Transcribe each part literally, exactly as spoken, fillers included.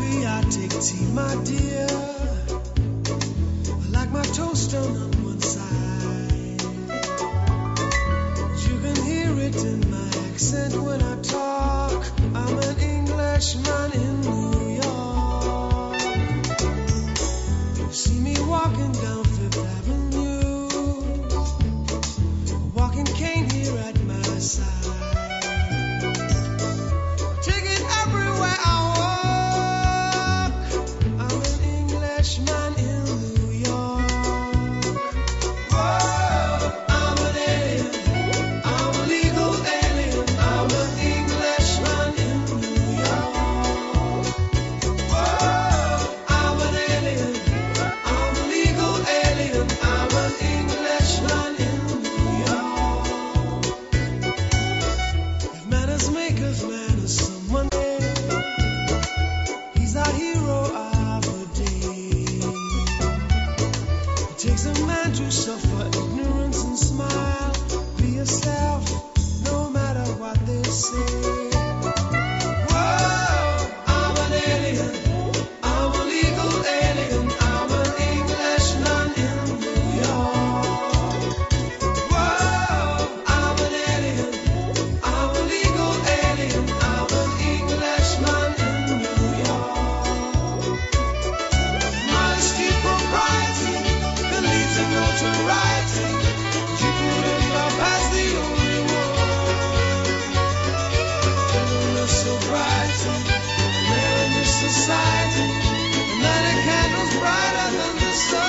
coffee, I take tea, my dear. I like my toast done on one side. You can hear it in my accent when I talk. I'm an Englishman in New York. You see me walking down Fifth Avenue, a walking cane here at my side. Take it everywhere I walk. I'm an Englishman in New York. Whoa, I'm an alien. I'm a legal alien. I'm an Englishman in New York. Whoa, I'm an alien. I'm a legal alien. I'm an Englishman in New York. If manners make us manners, someone he's our hero of the day. It takes a man to suffer ignorance and smile. Be yourself, no matter what they say. Whoa, I'm an alien. I'm a legal alien. I'm an Englishman in New York. Whoa, I'm an alien. I'm a legal alien. I'm an Englishman in New York. Modesty, propriety can lead to notoriety. You could end up as the only one. Endless sobriety, man in this society, and then a candle's brighter than the sun.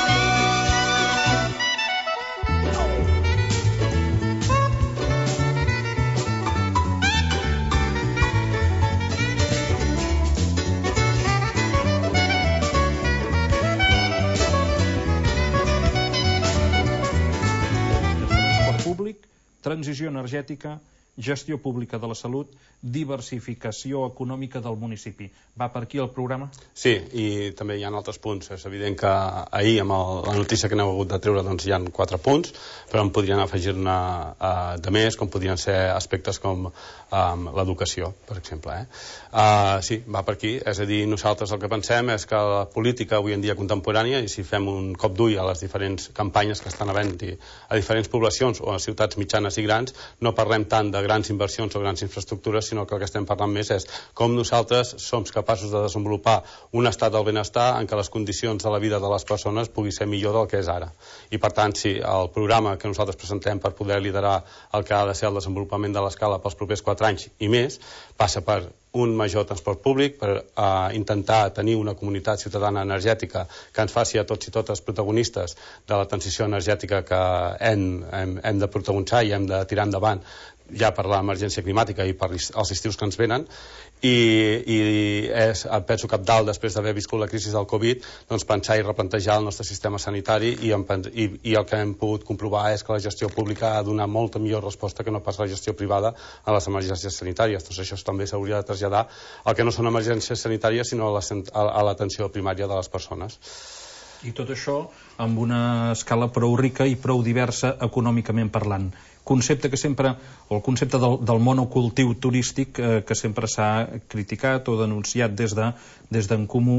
Transport públic, transició energètica, gestió pública de la salut, diversificació econòmica del municipi. Va per aquí el programa? Sí, i també hi ha altres punts. És evident que ahir, amb el, la notícia que n'heu hagut de treure, doncs hi ha quatre punts, però en podrien afegir-ne uh, de més, com podrien ser aspectes com um, l'educació, per exemple. Eh? Uh, sí, va per aquí. És a dir, nosaltres el que pensem és que la política avui en dia contemporània, i si fem un cop d'ull a les diferents campanyes que estan havent-hi a diferents poblacions o a ciutats mitjanes i grans, no parlem tant de grans inversions o grans infraestructures, sinó que el que estem parlant més és com nosaltres som capaços de desenvolupar un estat del benestar en què les condicions de la vida de les persones pugui ser millor del que és ara. I per tant, sí, el programa que nosaltres presentem per poder liderar el que ha de ser el desenvolupament de l'escala pels propers quatre anys i més, passa per un major transport públic, per uh, intentar tenir una comunitat ciutadana energètica que ens faci a tots i totes protagonistes de la transició energètica que hem, hem, hem de protagonitzar i hem de tirar endavant ja per l'emergència climàtica i per els estius que ens venen, i, i és, penso cabdal, després d'haver viscut la crisi del Covid, doncs pensar i replantejar el nostre sistema sanitari, i, i, i el que hem pogut comprovar és que la gestió pública ha donat molta millor resposta que no pas la gestió privada a les emergències sanitàries. Doncs això també s'hauria de traslladar al que no són emergències sanitàries, sinó a l'atenció primària de les persones. I tot això amb una escala prou rica i prou diversa econòmicament parlant. Concepte que sempre, o el concepte del, del monocultiu turístic eh, que sempre s'ha criticat o denunciat des de des d'en Comú,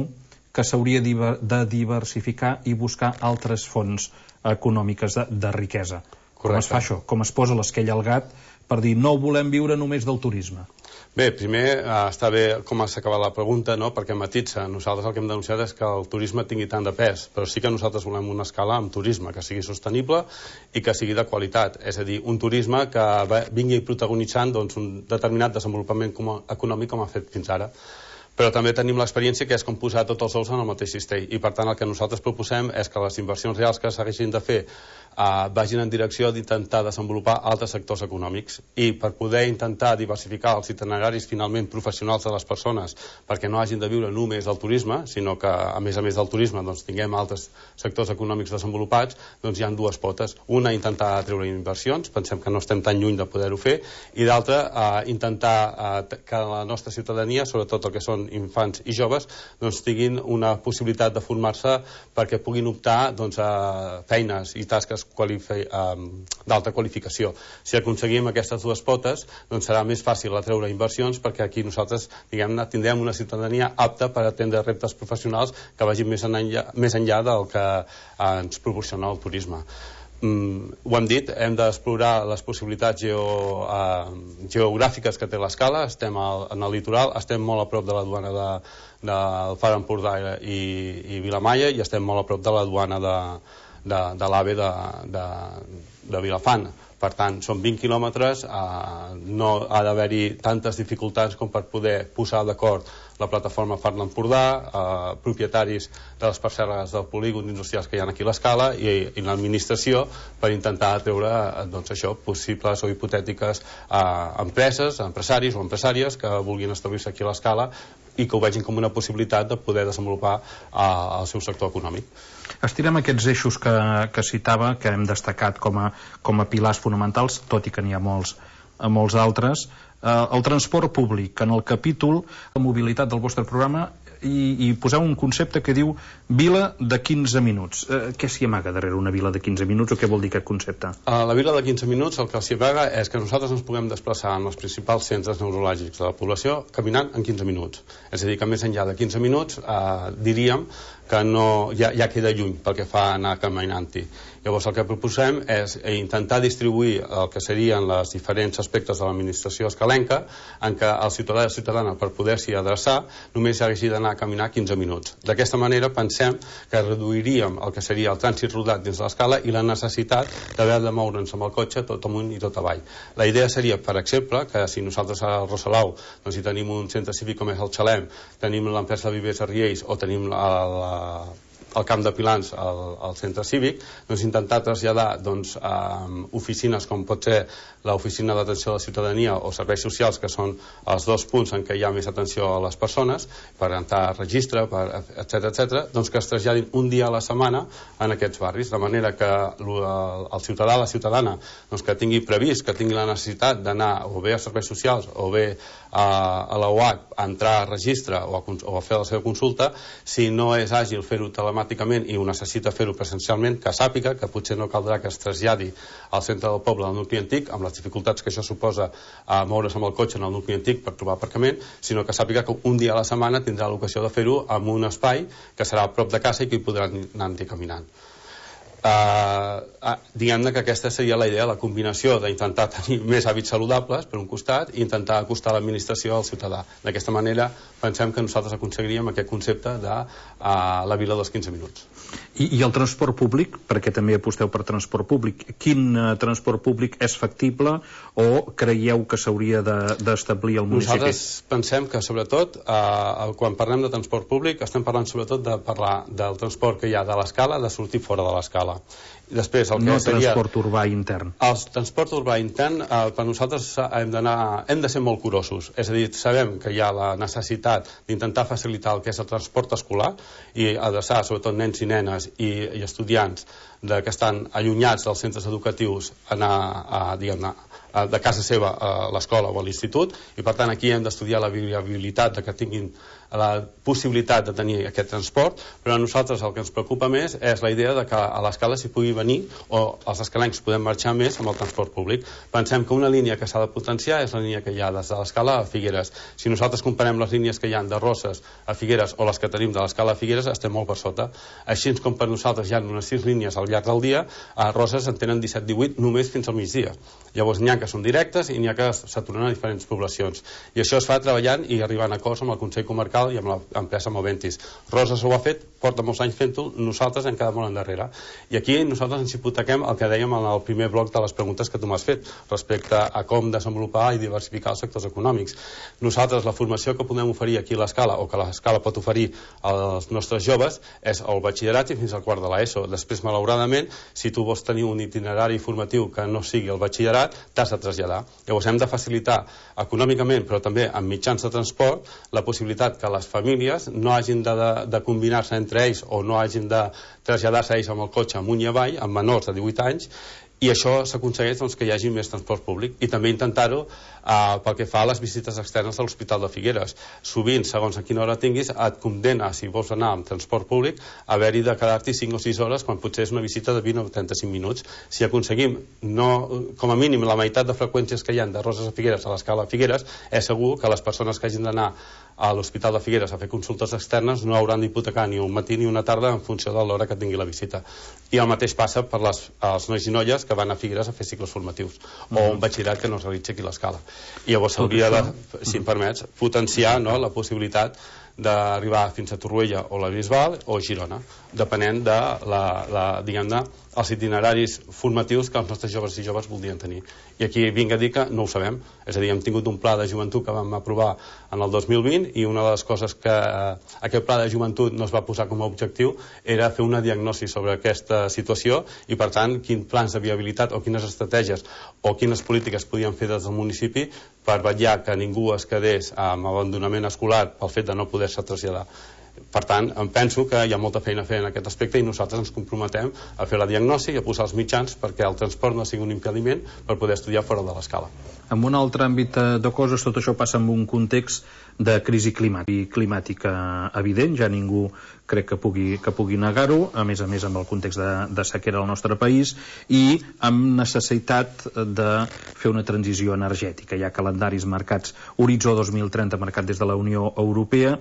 que s'hauria de diversificar i buscar altres fonts econòmiques de, de riquesa. Correcte. Com es fa això? Com es posa l'esquella al gat per dir no volem viure només del turisme? Bé, primer eh, està bé com s'ha acabat la pregunta, no? Perquè matitza. Nosaltres el que hem denunciat és que el turisme tingui tant de pes, però sí que nosaltres volem una escala amb turisme que sigui sostenible i que sigui de qualitat, és a dir, un turisme que vingui protagonitzant doncs, un determinat desenvolupament econòmic com ha fet fins ara. Però també tenim l'experiència que és com posar tots els ous en el mateix cistell, i per tant el que nosaltres proposem és que les inversions reals que s'haguessin de fer Uh, vagin en direcció d'intentar desenvolupar altres sectors econòmics, i per poder intentar diversificar els itineraris finalment professionals de les persones, perquè no hagin de viure només del turisme, sinó que a més a més del turisme doncs, tinguem altres sectors econòmics desenvolupats, doncs hi ha dues potes. Una, intentar treure inversions, pensem que no estem tan lluny de poder-ho fer, i l'altra, uh, intentar uh, que la nostra ciutadania, sobretot el que són infants i joves, doncs tinguin una possibilitat de formar-se perquè puguin optar doncs, a feines i tasques qualifi d'alta qualificació. Si aconseguim aquestes dues potes, doncs serà més fàcil atreure inversions, perquè aquí nosaltres, diguem-ne, tindrem una ciutadania apta per atendre reptes professionals que vagin més enllà, més enllà del que eh, ens proporciona el turisme. Mm, ho hem dit, hem d'explorar les possibilitats geo, eh, geogràfiques que té l'Escala. Estem al, en el litoral, estem molt a prop de la duana de, del Far Empordà i, i Vilamalla, i estem molt a prop de la duana de, de, de l'AVE de, de, de Vilafant. Per tant, són vint quilòmetres, eh, no ha d'haver-hi tantes dificultats com per poder posar d'acord la plataforma Far d'Empordà, eh, propietaris de les parcel·les del polígon industrials que hi ha aquí a l'Escala i, i l'administració, per intentar treure doncs, això, possibles o hipotètiques eh, empreses, empresaris o empresàries que vulguin establir-se aquí a l'Escala i que ho vegin com una possibilitat de poder desenvolupar eh, el seu sector econòmic. Estirem aquests eixos que, que citava, que hem destacat com a, com a pilars fonamentals, tot i que n'hi ha molts, molts altres. Eh, el transport públic, que en el capítol de mobilitat del vostre programa i, i poseu un concepte que diu vila de quinze minuts. Eh, què s'hi amaga darrere una vila de quinze minuts, o què vol dir aquest concepte? A la vila de quinze minuts el que s'hi amaga és que nosaltres ens puguem desplaçar en els principals centres neurològics de la població caminant en quinze minuts. És a dir, que més enllà de quinze minuts eh, diríem que no, ja, ja queda lluny pel que fa a anar caminant-hi. Llavors el que proposem és intentar distribuir el que serien els diferents aspectes de l'administració escalenca, en què el ciutadà i la ciutadana, per poder-s'hi adreçar, només hagi d'anar a caminar quinze minuts. D'aquesta manera pensem que reduiríem el que seria el trànsit rodat dins l'escala i la necessitat d'haver de moure'ns amb el cotxe tot amunt i tot avall. La idea seria, per exemple, que si nosaltres a Rosalau doncs, si tenim un centre cívic com és el Xalem, tenim l'empresa de Vivers a Riells o tenim la, la al Camp de Pilans, al, al centre cívic, doncs intentar traslladar doncs, eh, oficines com pot ser l'oficina d'atenció a la ciutadania o serveis socials, que són els dos punts en què hi ha més atenció a les persones, per entrar a registre, etcètera, etcètera, doncs que es traslladin un dia a la setmana en aquests barris, de manera que el ciutadà o la ciutadana doncs, que tingui previst, que tingui la necessitat d'anar o bé a serveis socials o bé a, a la U H a entrar a registre o a, o a fer la seva consulta, si no és àgil fer-ho telemàticament i ho necessita fer-ho presencialment, que sàpiga que potser no caldrà que es traslladi al centre del poble, al nucli antic, amb les dificultats que això suposa a moure's amb el cotxe en el nucli antic per trobar aparcament, sinó que sàpiga que un dia a la setmana tindrà l'ocasió de fer-ho en un espai que serà a prop de casa i que hi podrà anar caminant. Uh, uh, diguem-ne que aquesta seria la idea, la combinació d'intentar tenir més hàbits saludables per un costat i intentar acostar l'administració al ciutadà. D'aquesta manera pensem que nosaltres aconseguiríem aquest concepte de uh, la vila dels quinze minuts. I, i el transport públic, perquè també aposteu per transport públic, quin uh, transport públic és factible o creieu que s'hauria d'establir de, al municipi? Nosaltres pensem que sobretot uh, quan parlem de transport públic estem parlant sobretot de parlar del transport que hi ha de l'escala, de sortir fora de l'escala. Després, el que no seria transport urbà intern. El transport urbà intern, eh, per nosaltres hem d'anar, hem de ser molt curosos. És a dir, sabem que hi ha la necessitat d'intentar facilitar el que és el transport escolar i adreçar sobretot nens i nenes i, i estudiants de, que estan allunyats dels centres educatius a anar a, diguem-ne, de casa seva a l'escola o a l'institut, i per tant aquí hem d'estudiar la viabilitat de que tinguin la possibilitat de tenir aquest transport, però a nosaltres el que ens preocupa més és la idea de que a l'escala s'hi pugui venir o els escalencs podem marxar més amb el transport públic. Pensem que una línia que s'ha de potenciar és la línia que hi ha des de l'escala a Figueres. Si nosaltres comparem les línies que hi ha de Roses a Figueres o les que tenim de l'escala a Figueres, estem molt per sota. Així com per nosaltres hi ha unes sis línies al llarg del dia, a Roses en tenen disset divuit només fins al migdia. Llavors n'hi ha que són directes i n'hi ha que s'aturen a diferents poblacions. I això es fa treballant i arribant a acords amb el Consell Comarcal i amb l'empresa Moventis. Roses ho ha fet, porta molts anys fent-ho, nosaltres hem quedat molt endarrere. I aquí nosaltres ens hipotequem el que dèiem en el primer bloc de les preguntes que tu m'has fet respecte a com desenvolupar i diversificar els sectors econòmics. Nosaltres la formació que podem oferir aquí a l'escala o que l'escala pot oferir als nostres joves és el batxillerat i fins al quart de l'ESO. Després, malauradament, si tu vols tenir un itinerari formatiu que no sigui el batxillerat, t'has de traslladar. Llavors hem de facilitar econòmicament, però també amb mitjans de transport, la possibilitat que les famílies no hagin de, de, de combinar-se entre ells o no hagin de traslladar-se ells amb el cotxe amunt i avall, amb menors de divuit anys, i això s'aconsegueix doncs, que hi hagi més transport públic, i també intentar-ho eh, pel que fa a les visites externes de l'Hospital de Figueres. Sovint, segons a quina hora tinguis, et condena, si vols anar amb transport públic, a haver-hi de quedar-t'hi cinc o sis hores quan potser és una visita de vint o trenta-cinc minuts. Si aconseguim, no, com a mínim, la meitat de freqüències que hi ha de Roses a Figueres a l'escala Figueres, és segur que les persones que hagin d'anar a l'Hospital de Figueres a fer consultes externes no hauran d'hipotecar ni un matí ni una tarda en funció de l'hora que tingui la visita. I el mateix passa per les, els nois i noies que van a Figueres a fer cicles formatius, mm. o un batxillerat que no es realitza aquí a l'escala. I llavors s'hauria de, si em permets, potenciar, no, la possibilitat d'arribar fins a Torroella o la Bisbal o Girona, depenent de la, la, diguem-ne, els itineraris formatius que els nostres joves i joves voldrien tenir. I aquí vinc a dir que no ho sabem. És a dir, hem tingut un pla de joventut que vam aprovar en el dos mil vint, i una de les coses que eh, aquest pla de joventut no es va posar com a objectiu era fer una diagnosi sobre aquesta situació, i per tant quins plans de viabilitat o quines estratègies o quines polítiques podien fer des del municipi per vetllar que ningú es quedés amb abandonament escolar pel fet de no poder-se traslladar. Per tant, em penso que hi ha molta feina a fer en aquest aspecte, i nosaltres ens comprometem a fer la diagnosi i a posar els mitjans perquè el transport no sigui un impediment per poder estudiar fora de l'escala. En un altre àmbit de coses, tot això passa en un context de crisi climàtica, climàtica evident, ja ningú crec que pugui, que pugui negar-ho, a més a més amb el context de, de sequera al nostre país, i amb necessitat de fer una transició energètica. Hi ha calendaris marcats, Horitzó dos mil trenta marcat des de la Unió Europea.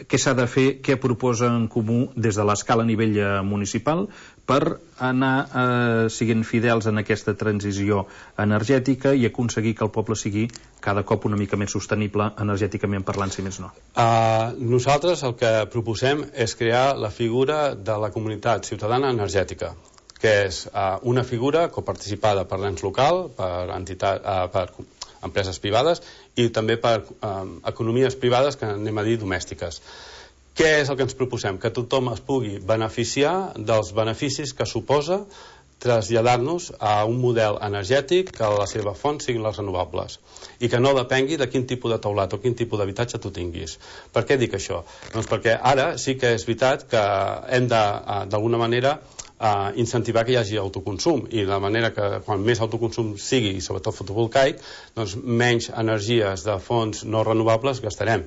Què s'ha de fer, què proposa en comú des de l'escala a nivell municipal per anar eh, siguent fidels en aquesta transició energètica i aconseguir que el poble sigui cada cop una mica més sostenible energèticament parlant, si més no? Uh, nosaltres el que proposem és crear la figura de la comunitat ciutadana energètica, que és uh, una figura coparticipada per l'ens local, per, entitat, uh, per empreses privades i també per uh, economies privades, que anem a dir domèstiques. Què és el que ens proposem? Que tothom es pugui beneficiar dels beneficis que suposa traslladar-nos a un model energètic que la seva font siguin les renovables i que no depengui de quin tipus de teulat o quin tipus d'habitatge tu tinguis. Per què dic això? Doncs perquè ara sí que és veritat que hem de, d'alguna manera, Uh, incentivar que hi hagi autoconsum, i de manera que quan més autoconsum sigui, i sobretot fotovoltaic, doncs menys energies de fonts no renovables gastarem.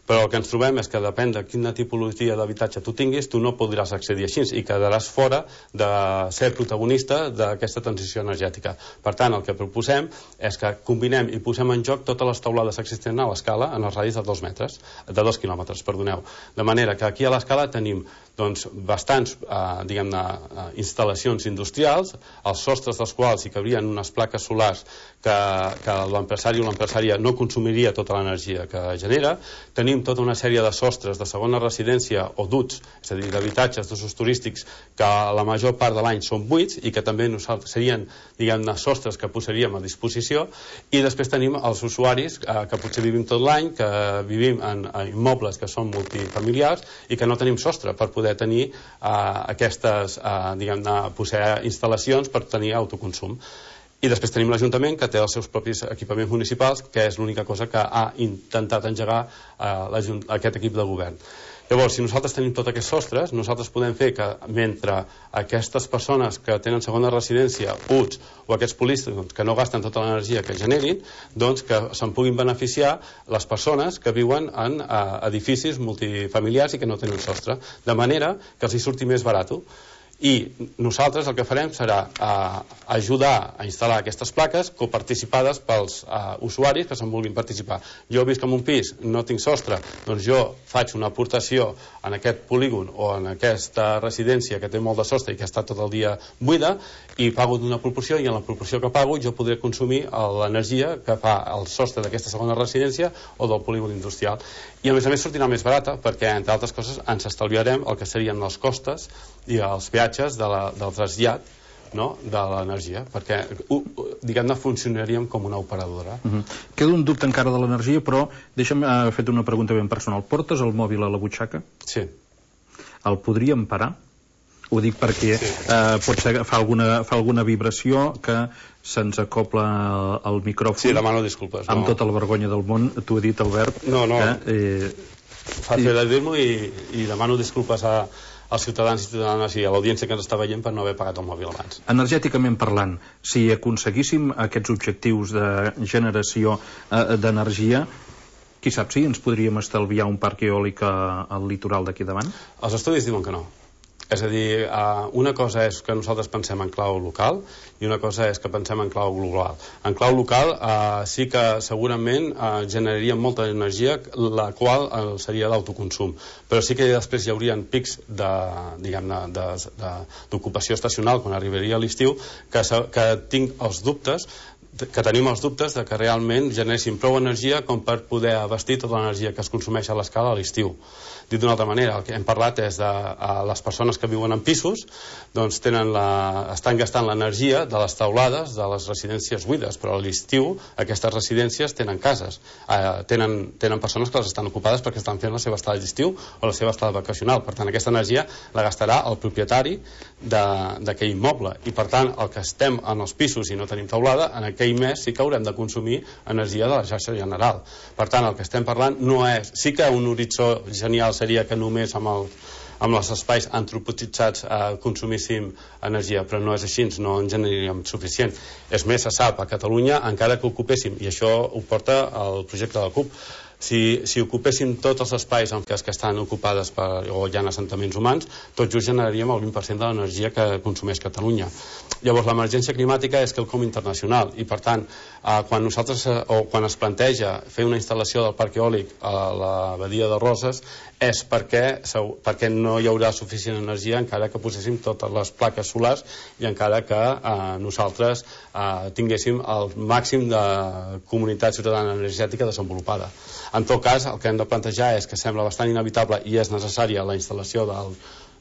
Però el que ens trobem és que depèn de quina tipologia d'habitatge tu tinguis, tu no podràs accedir així i quedaràs fora de ser protagonista d'aquesta transició energètica. Per tant, el que proposem és que combinem i posem en joc totes les teulades existents a l'escala en els radis de dos metres, de dos quilòmetres, perdoneu. De manera que aquí a l'escala tenim doncs, bastants eh, diguem-ne, eh, instal·lacions industrials, els sostres dels quals hi cabrien unes plaques solars que, que l'empresari o l'empresària no consumiria tota l'energia que genera. Tenim tota una sèrie de sostres de segona residència o duts, és a dir, d'habitatges d'usos turístics que la major part de l'any són buits i que també nosaltres serien, diguem-ne, sostres que posaríem a disposició. I després tenim els usuaris eh, que potser vivim tot l'any, que vivim en, en immobles que són multifamiliars i que no tenim sostre per poder tenir eh, aquestes, eh, diguem-ne, posar instal·lacions per tenir autoconsum. I després tenim l'Ajuntament, que té els seus propis equipaments municipals, que és l'única cosa que ha intentat engegar eh, aquest equip de govern. Llavors, si nosaltres tenim tots aquests sostres, nosaltres podem fer que mentre aquestes persones que tenen segona residència, U T S o aquests polígons que no gasten tota l'energia que generin, doncs que se'n puguin beneficiar les persones que viuen en eh, edificis multifamiliars i que no tenen sostre, de manera que els hi surti més barat. I nosaltres el que farem serà eh, ajudar a instal·lar aquestes plaques coparticipades pels eh, usuaris que se'n vulguin participar. Jo visc en un pis, no tinc sostre, doncs jo faig una aportació en aquest polígon o en aquesta residència que té molt de sostre i que està tot el dia buida, i pago d'una proporció, i en la proporció que pago jo podré consumir l'energia que fa el sostre d'aquesta segona residència o del polígon industrial. I a més a més sortirà més barata perquè, entre altres coses, ens estalviarem el que serien els costes i els peatges de la, del trasllat, no?, de l'energia, perquè diguem-ne funcionaríem com una operadora. Uh-huh. Queda un dubte encara de l'energia, però deixa'm uh, fer una pregunta ben personal. Portes el mòbil a la butxaca? Sí. El podríem parar? Ho dic perquè sí. uh, potser fa alguna, fa alguna vibració que se'ns acopla el micròfon. Sí, demano disculpes. Amb no. tota la vergonya del món, t'ho he dit, Albert. No, no. Eh, Fàcil de dir-m'ho, i, i demano disculpes a, als ciutadans i ciutadanes i a l'audiència que ens està veient per no haver pagat el mòbil abans. Energèticament parlant, si aconseguíssim aquests objectius de generació eh, d'energia, qui sap si ens podríem estalviar un parc eòlic al litoral d'aquí davant? Els estudis diuen que no. És a dir, uh, una cosa és que nosaltres pensem en clau local i una cosa és que pensem en clau global. En clau local uh, sí que segurament uh, generaria molta energia, la qual uh, seria d'autoconsum, però sí que després hi haurien pics de, diguem-ne, d'ocupació estacional quan arribaria l'estiu, que, que tinc els dubtes que tenim els dubtes de que realment generessin prou energia com per poder abastir tota l'energia que es consumeix a l'escala a l'estiu. Dit d'una altra manera, el que hem parlat és de a les persones que viuen en pisos, doncs tenen la, estan gastant l'energia de les taulades de les residències buides, però a l'estiu aquestes residències tenen cases, eh, tenen, tenen persones que les estan ocupades perquè estan fent la seva estada d'estiu o la seva estada vacacional. Per tant, aquesta energia la gastarà el propietari d'aquell immoble, i per tant el que estem en els pisos i no tenim taulada, en aquell mes sí que haurem de consumir energia de la xarxa general. Per tant, el que estem parlant no és, sí que un horitzó genial seria que només amb, el, amb els espais antropotitzats eh, consumíssim energia, però no és així, no en generaríem suficient. És més, se sap, a Catalunya, encara que ocupéssim, i això ho porta el projecte de la CUP, si, si ocupéssim tots els espais en què estan ocupades per, o hi ha assentaments humans, tot just generaríem el vint per cent de l'energia que consumeix Catalunya. Llavors, l'emergència climàtica és quelcom internacional, i per tant, eh, quan nosaltres, eh, o quan es planteja fer una instal·lació del parc eòlic a la badia de Roses, és perquè, perquè no hi haurà suficient energia encara que poséssim totes les plaques solars i encara que eh, nosaltres eh, tinguéssim el màxim de comunitat ciutadana energètica desenvolupada. En tot cas, el que hem de plantejar és que sembla bastant inevitable i és necessària la instal·lació del,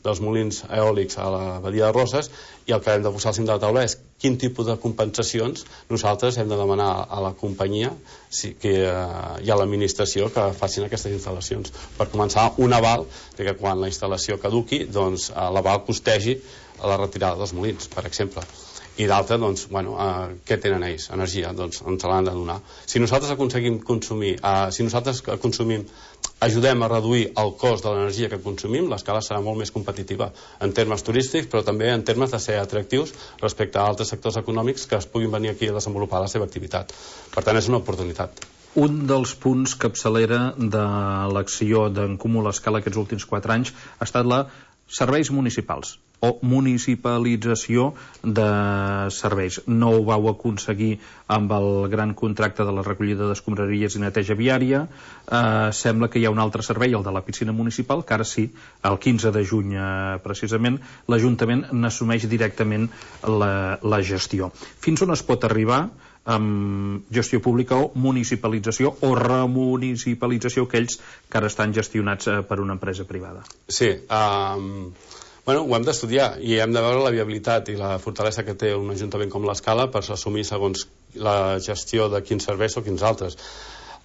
dels molins eòlics a la badia de Roses, i el que hem de posar al cim de la taula és quin tipus de compensacions nosaltres hem de demanar a la companyia si, que, eh, i a l'administració que facin aquestes instal·lacions. Per començar, un aval de que quan la instal·lació caduqui, doncs eh, l'aval costegi la retirada dels molins, per exemple. I d'altra, doncs, bueno, eh, què tenen ells? Energia, doncs ens l'han de donar. Si nosaltres aconseguim consumir, eh, si nosaltres consumim, ajudem a reduir el cost de l'energia que consumim, l'escala serà molt més competitiva en termes turístics, però també en termes de ser atractius respecte a altres sectors econòmics que es puguin venir aquí a desenvolupar la seva activitat. Per tant, és una oportunitat. Un dels punts capçalera de l'acció d'en Comú a l'Escala aquests últims quatre anys ha estat la serveis municipals o municipalització de serveis. No ho vau aconseguir amb el gran contracte de la recollida d'escombraries i neteja viària. Eh, sembla que hi ha un altre servei, el de la piscina municipal, que ara sí, el quinze de juny eh, precisament, l'Ajuntament n'assumeix directament la, la gestió. Fins on es pot arribar amb gestió pública o municipalització o remunicipalització aquells que ara estan gestionats eh, per una empresa privada? Sí, um, bueno, ho hem d'estudiar i hem de veure la viabilitat i la fortalesa que té un ajuntament com l'Escala per assumir segons la gestió de quins serveis o quins altres.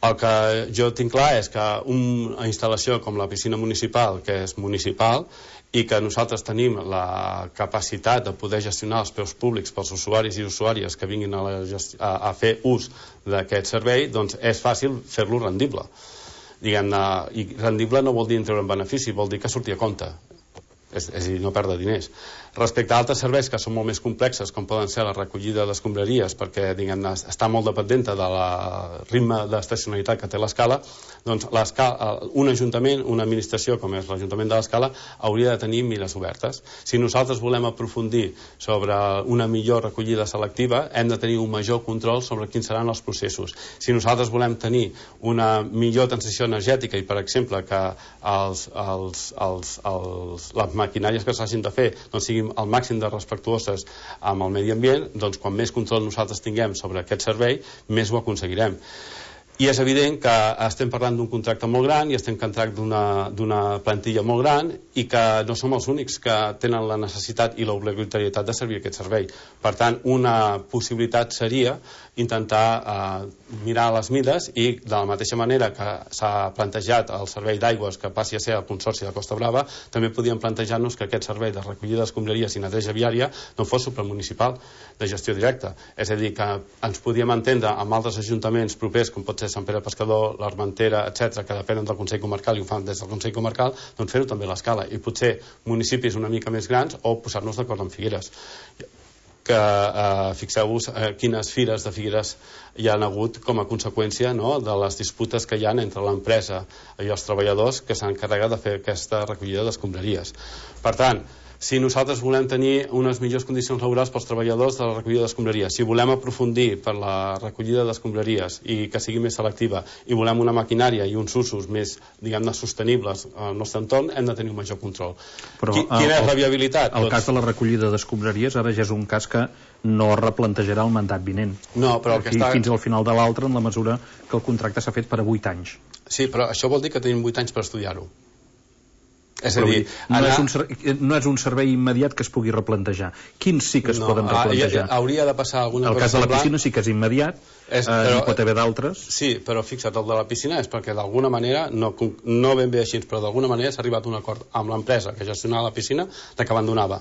El que jo tinc clar és que una instal·lació com la piscina municipal, que és municipal, i que nosaltres tenim la capacitat de poder gestionar els preus públics pels usuaris i usuàries que vinguin a, la a, a fer ús d'aquest servei, doncs és fàcil fer-lo rendible. Diguem-ne, i rendible no vol dir treure un benefici, vol dir que surti a compte. És, és a dir, no perdre diners. Respecte a altres serveis que són molt més complexes, com poden ser la recollida d'escombraries, perquè diguem-ne està molt dependenta de la ritme d'estacionalitat que té l'Escala, doncs un ajuntament, una administració com és l'Ajuntament de l'Escala, hauria de tenir mires obertes. Si nosaltres volem aprofundir sobre una millor recollida selectiva, hem de tenir un major control sobre quins seran els processos. Si nosaltres volem tenir una millor transició energètica i, per exemple, que els, els, els, els, les maquinàries que s'hagin de fer doncs siguin al màxim de respectuoses amb el medi ambient, doncs quan més control nosaltres tinguem sobre aquest servei, més ho aconseguirem. I és evident que estem parlant d'un contracte molt gran i estem parlant d'una plantilla molt gran i que no som els únics que tenen la necessitat i l'obligatorietat de servir aquest servei. Per tant, una possibilitat seria intentar eh, mirar les mides i, de la mateixa manera que s'ha plantejat el servei d'aigües que passi a ser el Consorci de Costa Brava, també podíem plantejar-nos que aquest servei de recollida d'escombraries i neteja viària no fos supramunicipal de gestió directa. És a dir, que ens podíem entendre amb altres ajuntaments propers, com pot ser de Sant Pere Pescador, l'Armentera, etcètera, que depenen del Consell Comarcal i ho fan des del Consell Comarcal, doncs fer-ho també a l'Escala. I potser municipis una mica més grans o posar-nos d'acord amb Figueres. Que eh, fixeu-vos eh, quines fires de Figueres hi han hagut com a conseqüència, no?, de les disputes que hi ha entre l'empresa i els treballadors que s'han encarregat de fer aquesta recollida d'escombraries. Per tant, si nosaltres volem tenir unes millors condicions laborals pels treballadors de la recollida d'escombraries, si volem aprofundir per la recollida d'escombraries i que sigui més selectiva, i volem una maquinària i uns usos més, diguem-ne, sostenibles al nostre entorn, hem de tenir un major control. Però, Qui, quina és la viabilitat? El doncs... cas de la recollida d'escombraries ara ja és un cas que no replantejarà el mandat vinent. No, però el que està... Fins al final de l'altre, en la mesura que el contracte s'ha fet per a vuit anys. Sí, però això vol dir que tenim vuit anys per estudiar-ho. És a dir, anar... no, és un servei, no és un servei immediat que es pugui replantejar. Quins sí que es no, poden replantejar? Ah, hauria de passar alguna cosa. El cas de la semblant. piscina sí que és immediat, és, però, eh, hi pot haver d'altres. Sí, però fixa't, el de la piscina és perquè d'alguna manera, no, no ben bé així, però d'alguna manera s'ha arribat a un acord amb l'empresa que gestionava la piscina de que abandonava.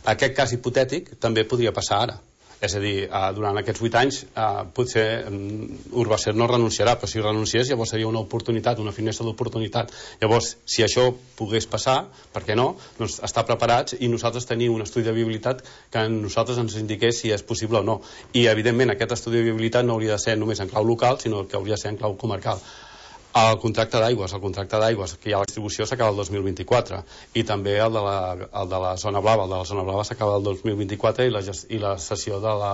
Aquest cas hipotètic també podria passar ara. És a dir, eh, durant aquests vuit anys eh, potser um, Urbacer no renunciarà, però si renunciés llavors seria una oportunitat, una finestra d'oportunitat. Llavors, si això pogués passar, per què no? Doncs estar preparats i nosaltres tenir un estudi de viabilitat que a nosaltres ens indiqués si és possible o no. I evidentment aquest estudi de viabilitat no hauria de ser només en clau local, sinó que hauria de ser en clau comarcal. El contracte d'aigües, el contracte d'aigües que hi ha a la distribució s'acaba el dos mil vint-i-quatre i també el de la, el de la zona blava, el de la zona blava s'acaba el dos mil vint-i-quatre i la, i la sessió de la,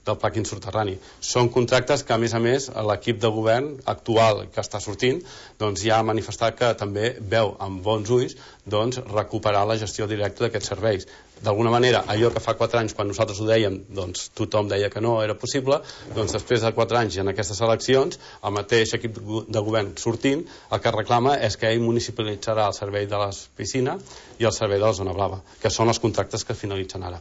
del pla quinsoterrani. Són contractes que a més a més l'equip de govern actual que està sortint doncs ja ha manifestat que també veu amb bons ulls doncs, recuperar la gestió directa d'aquests serveis. D'alguna manera, allò que fa quatre anys quan nosaltres ho dèiem, doncs tothom deia que no era possible, doncs després de quatre anys i en aquestes eleccions, el mateix equip de govern sortint, el que reclama és que ell municipalitzarà el servei de la piscina i el servei de la zona blava, que són els contractes que finalitzen ara.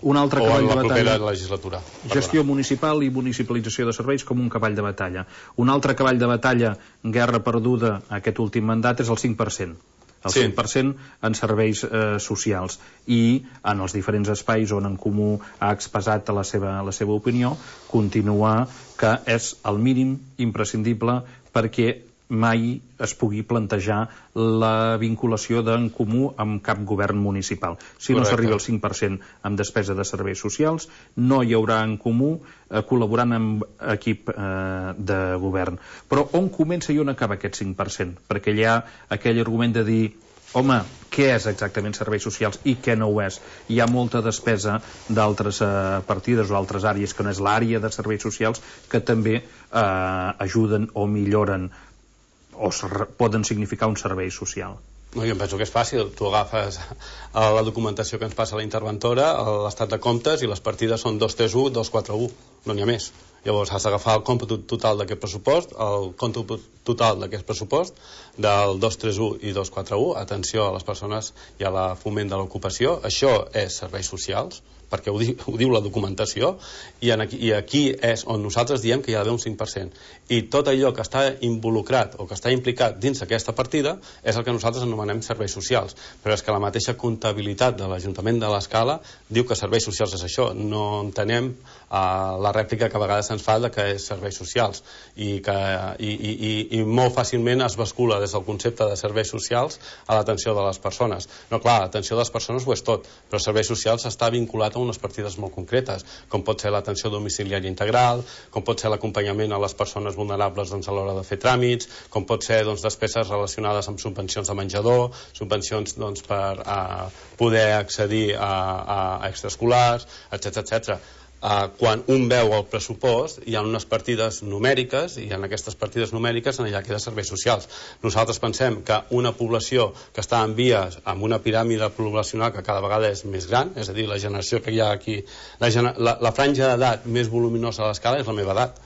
Un altre o cavall en la de propera batalla. legislatura. Gestió municipal i municipalització de serveis com un cavall de batalla. Un altre cavall de batalla, guerra perduda aquest últim mandat, és el cinc per cent. El sí. cinc per cent en serveis eh, socials i en els diferents espais on En Comú ha expressat la seva, la seva opinió, continua que és el mínim imprescindible perquè mai es pugui plantejar la vinculació d'En Comú amb cap govern municipal. Si no s'arriba al cinc per cent amb despesa de serveis socials, no hi haurà En Comú eh, col·laborant amb equip eh, de govern. Però on comença i on acaba aquest cinc per cent? Perquè hi ha aquell argument de dir home, què és exactament serveis socials i què no ho és? Hi ha molta despesa d'altres eh, partides o altres àrees que no és l'àrea de serveis socials que també eh, ajuden o milloren o poden significar un servei social. No, jo em penso que és fàcil. Tu agafes la documentació que ens passa la interventora, l'estat de comptes, i les partides són dos tres u, dos quatre u. No n'hi ha més. Llavors has d'agafar el còmput total d'aquest pressupost, el còmput total d'aquest pressupost, del dos tres u i dos quatre u, atenció a les persones i a la foment de l'ocupació. Això és serveis socials, perquè ho diu, ho diu la documentació, i, en aquí, i aquí és on nosaltres diem que hi ha d'haver un cinc per cent. I tot allò que està involucrat o que està implicat dins d'aquesta partida és el que nosaltres anomenem serveis socials. Però és que la mateixa comptabilitat de l'Ajuntament de l'Escala diu que serveis socials és això. No entenem uh, la rèplica que a vegades se'ns fa de que és serveis socials i, que, i, i, i, i molt fàcilment es bascula des del concepte de serveis socials a l'atenció de les persones. No, clar, l'atenció de les persones ho és tot, però serveis socials està vinculat a unes partides molt concretes, com pot ser l'atenció domiciliària integral, com pot ser l'acompanyament a les persones vulnerables doncs, a l'hora de fer tràmits, com pot ser doncs, despeses relacionades amb subvencions de menjador, subvencions doncs, per uh, poder accedir a, a, a extraescolars, etcètera etcètera. Uh, quan un veu el pressupost hi ha unes partides numèriques i en aquestes partides numèriques en allà queda serveis socials. Nosaltres pensem que una població que està en vies amb una piràmide poblacional que cada vegada és més gran, és a dir, la generació que hi ha aquí, la, la, la franja d'edat més voluminosa a l'escala és la meva edat.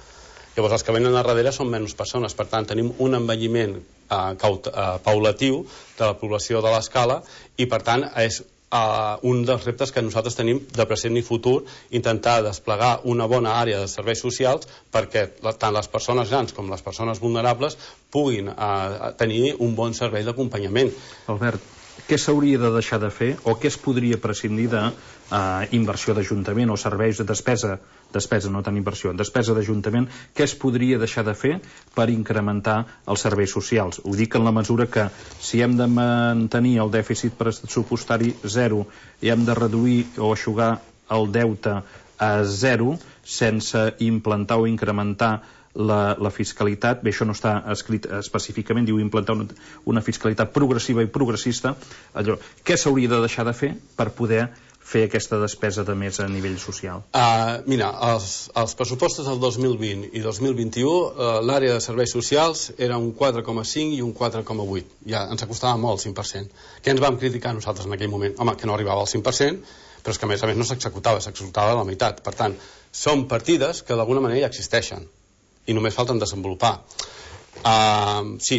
Llavors els que venen a darrere són menys persones, per tant tenim un envelliment uh, caut, uh, paulatiu de la població de l'escala i per tant és Uh, un dels reptes que nosaltres tenim de present i futur, intentar desplegar una bona àrea de serveis socials perquè la, tant les persones grans com les persones vulnerables puguin uh, tenir un bon servei d'acompanyament. Albert, què s'hauria de deixar de fer o què es podria prescindir de eh, inversió d'Ajuntament o serveis de despesa, despesa no tant inversió, despesa d'Ajuntament, què es podria deixar de fer per incrementar els serveis socials? Ho dic en la mesura que si hem de mantenir el dèficit pressupostari zero i hem de reduir o eixugar el deute a zero sense implantar o incrementar La, la fiscalitat, bé, això no està escrit específicament, diu implantar una, una fiscalitat progressiva i progressista, allò, què s'hauria de deixar de fer per poder fer aquesta despesa de més a nivell social? Uh, mira, els, els pressupostos del dos mil vint i dos mil vint-i-u, uh, l'àrea de serveis socials era un quatre coma cinc i un quatre coma vuit. Ja ens acostava molt el cinc per cent. Què ens vam criticar nosaltres en aquell moment? Home, que no arribava al cinc per cent, però és que a més a més no s'executava, s'executava a la meitat. Per tant, són partides que d'alguna manera ja existeixen i només falten desenvolupar. Uh, sí,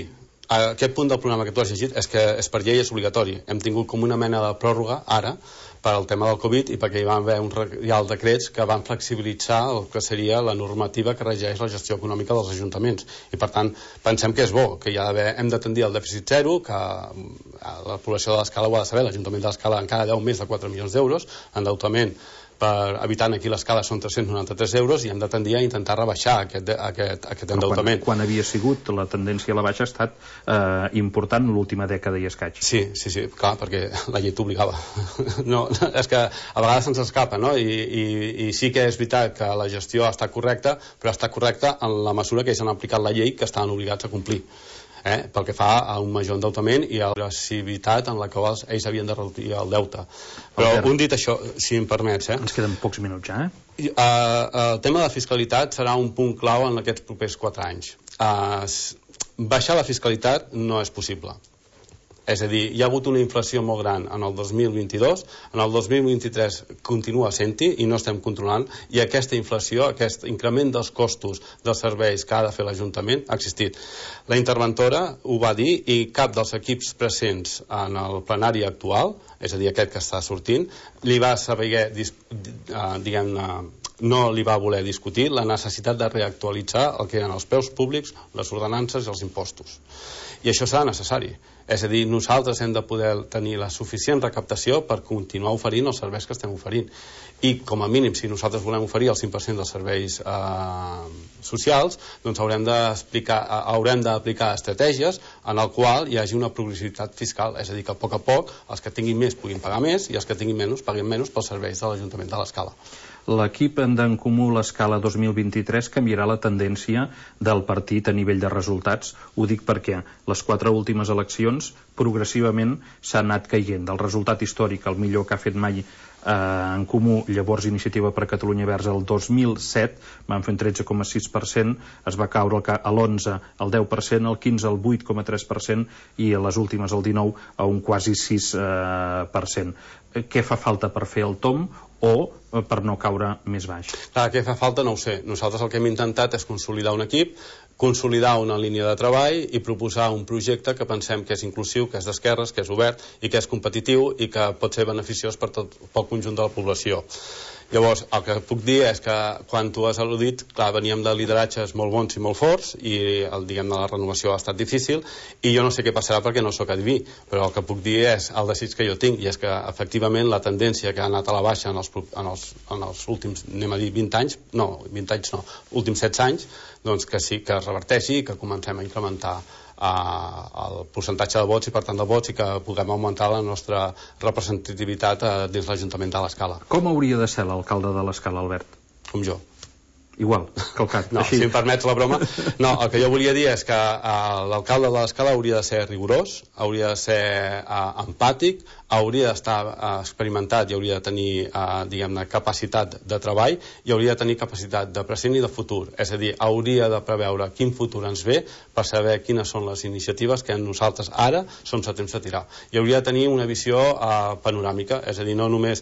aquest punt del programa que tu has llegit és que és per llei, és obligatori. Hem tingut com una mena de pròrroga ara per al tema del Covid i perquè hi va haver un reial decrets que van flexibilitzar el que seria la normativa que regeix la gestió econòmica dels ajuntaments. I per tant, pensem que és bo, que hi ha d'haver, hem de tendir al dèficit zero, que la població de l'Escala ho ha de saber, l'Ajuntament de l'Escala encara deu més de quatre milions d'euros, endeutament per habitant aquí l'escala són tres-cents noranta-tres euros i hem de tendir a intentar rebaixar aquest, aquest, aquest endeutament. Quan, quan havia sigut la tendència a la baixa ha estat eh, important l'última dècada i escaig. Sí, sí, sí, clar, perquè la llei t'obligava. No, és que a vegades se'ns escapa, no? I, i, i sí que és veritat que la gestió ha estat correcta, però està correcta en la mesura que ells han aplicat la llei que estaven obligats a complir. Eh, pel que fa a un major endeutament i a l'agressivitat en la qual ells havien de reduir el deute. Però Albert, un dit això, si em permets... Eh? Ens queden pocs minuts ja, eh? Uh, uh, el tema de la fiscalitat serà un punt clau en aquests propers quatre anys. Uh, baixar la fiscalitat no és possible. És a dir, hi ha hagut una inflació molt gran en el dos mil vint-i-dos, en el dos mil vint-i-tres continua sent-hi i no estem controlant, i aquesta inflació, aquest increment dels costos dels serveis que ha de fer l'Ajuntament ha existit. La interventora ho va dir i cap dels equips presents en el plenari actual, és a dir, aquest que està sortint, li va saber, diguem-ne, no li va voler discutir la necessitat de reactualitzar el que eren els preus públics, les ordenances i els impostos. I això serà necessari. És a dir, nosaltres hem de poder tenir la suficient recaptació per continuar oferint els serveis que estem oferint. I, com a mínim, si nosaltres volem oferir el cinc per cent dels serveis eh, socials, doncs haurem d'explicar, haurem d'aplicar estratègies en el qual hi hagi una progressivitat fiscal. És a dir, que a poc a poc els que tinguin més puguin pagar més i els que tinguin menys paguin menys pels serveis de l'Ajuntament de l'Escala. L'equip d'en Comú l'Escala dos mil vint-i-tres canviarà la tendència del partit a nivell de resultats. Ho dic perquè les quatre últimes eleccions progressivament s'ha anat caient. Del resultat històric, el millor que ha fet mai eh, en Comú, llavors Iniciativa per Catalunya Verds, el dos mil set van fer un tretze coma sis per cent, es va caure a l'onze el deu per cent, el quinze el vuit coma tres per cent i a les últimes el dinou a un quasi sis per cent. Què fa falta per fer el tomb o per no caure més baix? Clar, què fa falta no ho sé. Nosaltres el que hem intentat és consolidar un equip, consolidar una línia de treball i proposar un projecte que pensem que és inclusiu, que és d'esquerres, que és obert i que és competitiu i que pot ser beneficiós per tot pel conjunt de la població. Llavors, el que puc dir és que quan tu has al·ludit, clar, veníem de lideratges molt bons i molt forts i el, diguem, de la renovació ha estat difícil i jo no sé què passarà perquè no sóc adiví, però el que puc dir és el desig que jo tinc i és que efectivament la tendència que ha anat a la baixa en els, en els, en els últims, anem a dir, vint anys, no, vint anys no, últims setze anys, doncs que sí, que es reverteixi i que comencem a incrementar el percentatge de vots i per tant de vots i que puguem augmentar la nostra representativitat dins l'Ajuntament de l'Escala. Com hauria de ser l'alcalde de l'Escala, Albert? Com jo. Igual, calcat. No, així. Si em permets la broma. No, el que jo volia dir és que uh, l'alcalde de l'Escala hauria de ser rigorós, hauria de ser uh, empàtic, hauria d'estar uh, experimentat i hauria de tenir, uh, diguem-ne, capacitat de treball i hauria de tenir capacitat de present i de futur. És a dir, hauria de preveure quin futur ens ve per saber quines són les iniciatives que nosaltres ara som a temps de tirar. I hauria de tenir una visió uh, panoràmica, és a dir, no només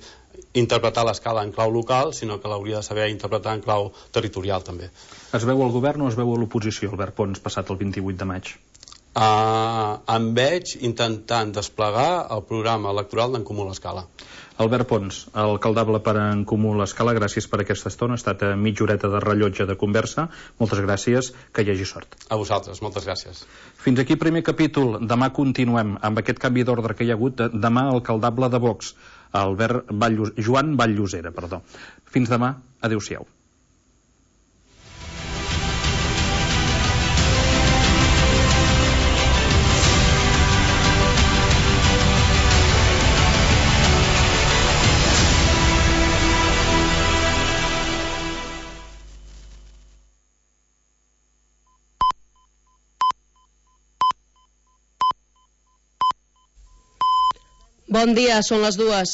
interpretar l'Escala en clau local, sinó que l'hauria de saber interpretar en clau territorial també. Es veu al govern o es veu a l'oposició, Albert Pons, passat el vint-i-vuit de maig? Uh, em veig intentant desplegar el programa electoral d'en Comú l'Escala. Albert Pons, alcaldable per en Comú l'Escala, gràcies per aquesta estona. Ha estat mitja horeta de rellotge de conversa. Moltes gràcies, que hi hagi sort. A vosaltres, moltes gràcies. Fins aquí primer capítol. Demà continuem amb aquest canvi d'ordre que hi ha hagut. Demà alcaldable de Vox, Albert Valllus... Joan Valllosera, perdó. Fins demà, adéu-siau. Bon dia, són les dues.